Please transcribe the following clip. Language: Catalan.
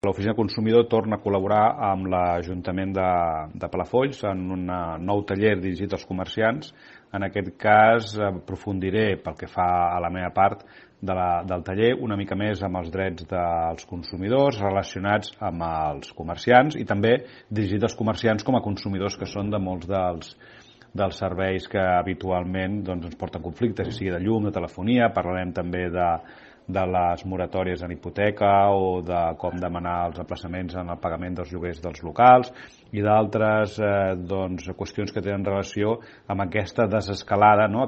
l'Oficina Consumidor torna a col·laborar amb l'Ajuntament de Palafolls en un nou taller dirigit als comerciants. En aquest cas aprofundiré, pel que fa a la meva part del taller, una mica més amb els drets dels consumidors relacionats amb els comerciants i també dirigit als comerciants com a consumidors que són de molts dels serveis que habitualment ens porten conflictes, sigui de llum, de telefonia. Parlarem també de les moratòries en hipoteca o de com demanar els aplaçaments en el pagament dels lloguers dels locals i d'altres qüestions que tenen relació amb aquesta desescalada, no?,